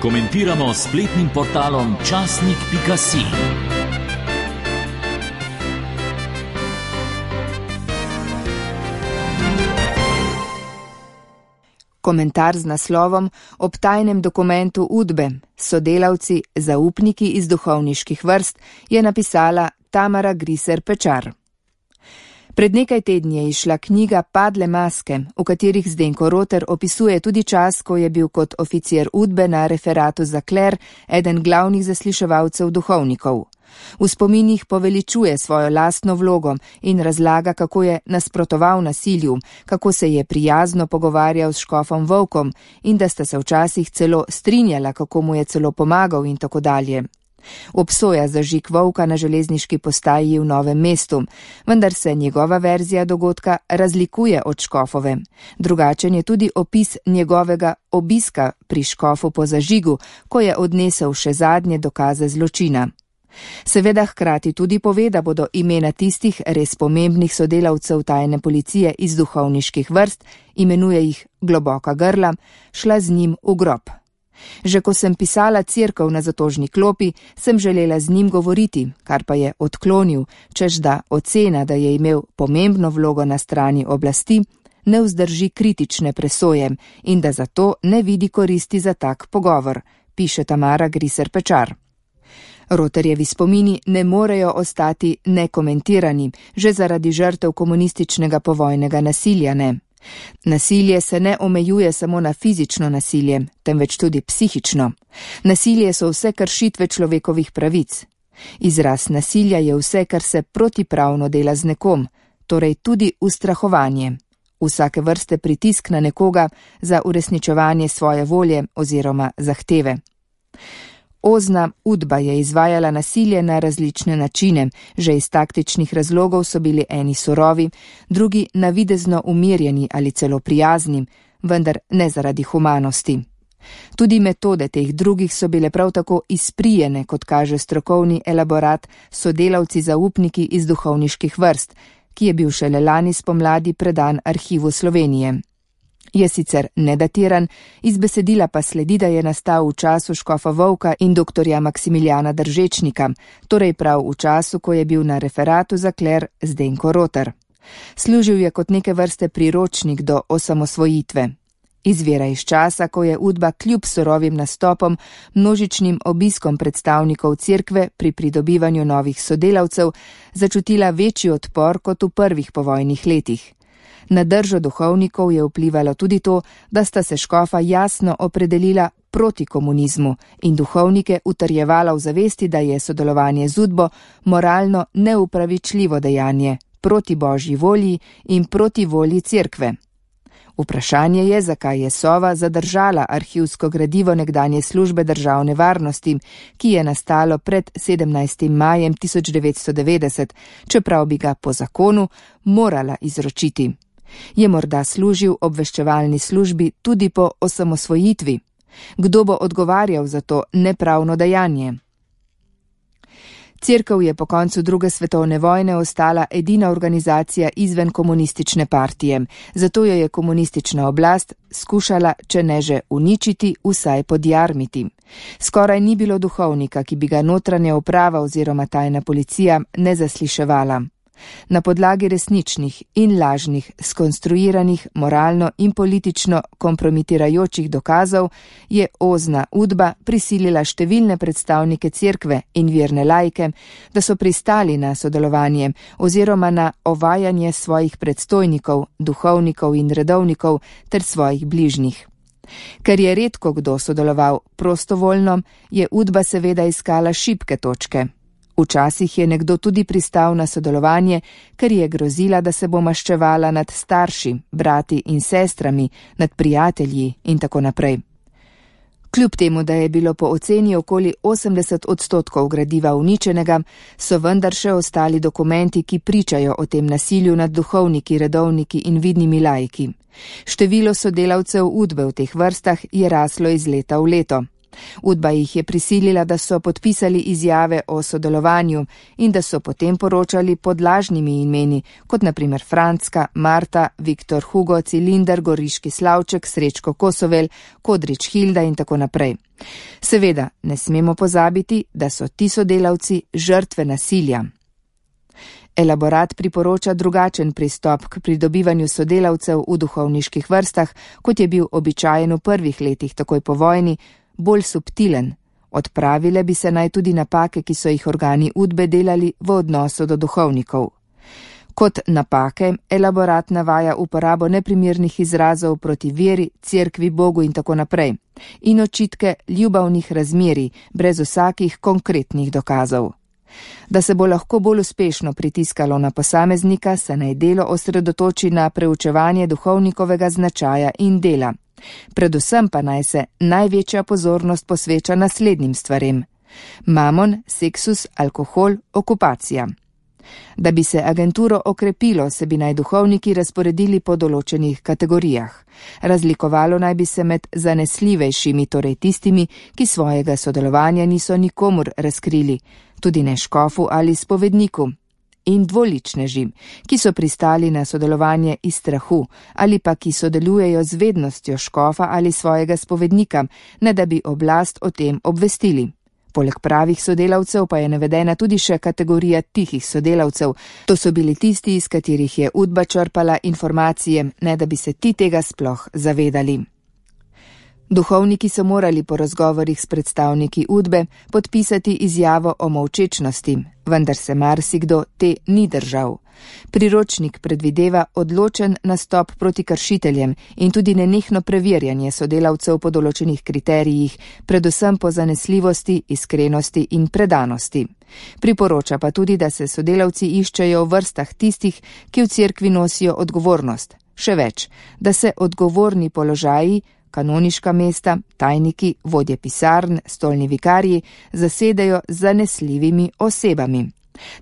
komentiramo s spletnim portalom časnik.si. Komentar z naslovom Ob tajnem dokumentu Udbe, sodelavci, zaupniki iz duhovniških vrst, je napisala Tamara Griser Pečar. Pred nekaj tedni je izšla knjiga Padle maske, v katerih Zdenko Roter opisuje tudi čas, ko je bil kot oficir Udbe na referatu za kler eden glavnih zasliševalcev duhovnikov. V spominih poveličuje svojo lastno vlogo in razlaga, kako je nasprotoval nasilju, kako se je prijazno pogovarjal s škofom Volkom in da sta se včasih celo strinjala, kako mu je celo pomagal in tako dalje. Obsoja zažig Volka na železniški postaji v Novem mestu, vendar se njegova verzija dogodka razlikuje od škofove. Drugačen je tudi opis njegovega obiska pri škofu po zažigu, ko je odnesel še zadnje dokaze zločina. Seveda hkrati tudi pove, da bodo imena tistih res pomembnih sodelavcev tajne policije iz duhovniških vrst, imenuje jih Globoka grla, šla z njim v grob. Že ko sem pisala Cerkev na zatožni klopi, sem želela z njim govoriti, kar pa je odklonil, češ da ocena, da je imel pomembno vlogo na strani oblasti, ne vzdrži kritične presoje in da zato ne vidi koristi za tak pogovor, piše Tamara Griser Pečar. Roterjevi spomini ne morejo ostati nekomentirani, že zaradi žrtev komunističnega povojnega nasilja ne. Nasilje se ne omejuje samo na fizično nasilje, temveč tudi psihično. Nasilje so vse kršitve človekovih pravic. Izraz nasilja je vse, kar se protipravno dela z nekom, torej tudi ustrahovanje. Vsake vrste pritisk na nekoga za uresničevanje svoje volje oziroma zahteve. Ozna Udba je izvajala nasilje na različne načine, že iz taktičnih razlogov so bili eni surovi, drugi navidezno umirjeni ali celo prijazni, vendar ne zaradi humanosti. Tudi metode teh drugih so bile prav tako izprijene, kot kaže strokovni elaborat Sodelavci zaupniki iz duhovniških vrst, ki je bil šele lani spomladi predan Arhivu Slovenije. Je sicer nedatiran, iz besedila pa sledi, da je nastal v času škofa Volka in doktorja Maksimiljana Držečnika, torej prav v času, ko je bil na referatu za kler Zdenko Roter. Služil je kot neke vrste priročnik do osamosvojitve. Izvira iz časa, ko je Udba kljub surovim nastopom, množičnim obiskom predstavnikov cerkve pri pridobivanju novih sodelavcev, začutila večji odpor kot v prvih povojnih letih. Na držo duhovnikov je vplivalo tudi to, da sta se škofa jasno opredelila proti komunizmu in duhovnike utrjevala v zavesti, da je sodelovanje z Udbo moralno neupravičljivo dejanje, proti božji volji in proti volji cerkve. Vprašanje je, zakaj je Sova zadržala arhivsko gradivo nekdanje službe državne varnosti, ki je nastalo pred 17. majem 1990, čeprav bi ga po zakonu morala izročiti. Je morda služil obveščevalni službi tudi po osamosvojitvi? Kdo bo odgovarjal za to nepravno dejanje? Cerkev je po koncu druge svetovne vojne ostala edina organizacija izven komunistične partije, zato jo je komunistična oblast skušala, če ne že uničiti, vsaj podjarmiti. Skoraj ni bilo duhovnika, ki bi ga notranja uprava oziroma tajna policija ne zasliševala. Na podlagi resničnih in lažnih, skonstruiranih, moralno in politično kompromitirajočih dokazov je Ozna Udba prisilila številne predstavnike cerkve in verne laike, da so pristali na sodelovanje oziroma na ovajanje svojih predstojnikov, duhovnikov in redovnikov ter svojih bližnjih. Ker je redko kdo sodeloval prostovoljno, je Udba seveda iskala šibke točke. Včasih je nekdo tudi pristal na sodelovanje, ker je grozila, da se bo maščevala nad starši, brati in sestrami, nad prijatelji in tako naprej. Kljub temu, da je bilo po oceni okoli 80% gradiva uničenega, so vendar še ostali dokumenti, ki pričajo o tem nasilju nad duhovniki, redovniki in vidnimi laiki. Število sodelavcev Udbe v teh vrstah je raslo iz leta v leto. Udba jih je prisilila, da so podpisali izjave o sodelovanju in da so potem poročali pod lažnimi imeni, kot naprimer Francka, Marta, Viktor Hugo, Cilinder, Goriški Slavček, Srečko Kosovel, Kodrič Hilda in tako naprej. Seveda, ne smemo pozabiti, da so ti sodelavci žrtve nasilja. Elaborat priporoča drugačen pristop k pridobivanju sodelavcev v duhovniških vrstah, kot je bil običajen v prvih letih takoj po vojni, bolj subtilen. Odpravile bi se naj tudi napake, ki so jih organi Udbe delali v odnosu do duhovnikov. Kot napake elaborat navaja uporabo neprimernih izrazov proti veri, cerkvi, Bogu in tako naprej in očitke ljubavnih razmerij brez vsakih konkretnih dokazov. Da se bo lahko bolj uspešno pritiskalo na posameznika, se naj delo osredotoči na preučevanje duhovnikovega značaja in dela. Predvsem pa naj se največja pozornost posveča naslednjim stvarem: mamon, seksus, alkohol, okupacija. Da bi se agenturo okrepilo, se bi naj duhovniki razporedili po določenih kategorijah. Razlikovalo naj bi se med zanesljivejšimi, torej tistimi, ki svojega sodelovanja niso nikomur razkrili, tudi ne škofu ali spovedniku, in dvoličneži, ki so pristali na sodelovanje iz strahu ali pa ki sodelujejo z vednostjo škofa ali svojega spovednika, ne da bi oblast o tem obvestili. Poleg pravih sodelavcev pa je navedena tudi še kategorija tihih sodelavcev. To so bili tisti, iz katerih je Udba črpala informacije, ne da bi se ti tega sploh zavedali. Duhovniki so morali po razgovorih s predstavniki Udbe podpisati izjavo o molčečnosti, vendar se marsikdo te ni držal. Priročnik predvideva odločen nastop proti kršiteljem in tudi nenehno preverjanje sodelavcev po določenih kriterijih, predvsem po zanesljivosti, iskrenosti in predanosti. Priporoča pa tudi, da se sodelavci iščejo v vrstah tistih, ki v cerkvi nosijo odgovornost. Še več, da se odgovorni položaji, kanoniška mesta, tajniki, vodje pisarn, stolni vikarji zasedajo z zanesljivimi osebami.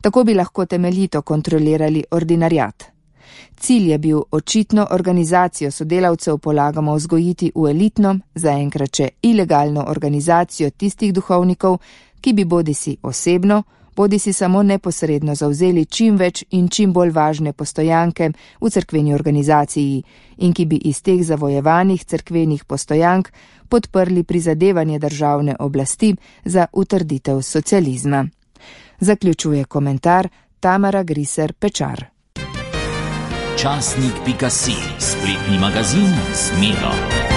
Tako bi lahko temeljito kontrolirali ordinarjat. Cilj je bil očitno organizacijo sodelavcev polagamo vzgojiti v elitno, zaenkrat še ilegalno organizacijo tistih duhovnikov, ki bi bodisi osebno, bodisi samo neposredno zavzeli čim več in čim bolj važne postojanke v cerkveni organizaciji in ki bi iz teh zavojevanih cerkvenih postojank podprli prizadevanje državne oblasti za utrditev socializma. Zaključuje komentar Tamara Griser Pečar. Časnik.si, spletni magazin z Miro.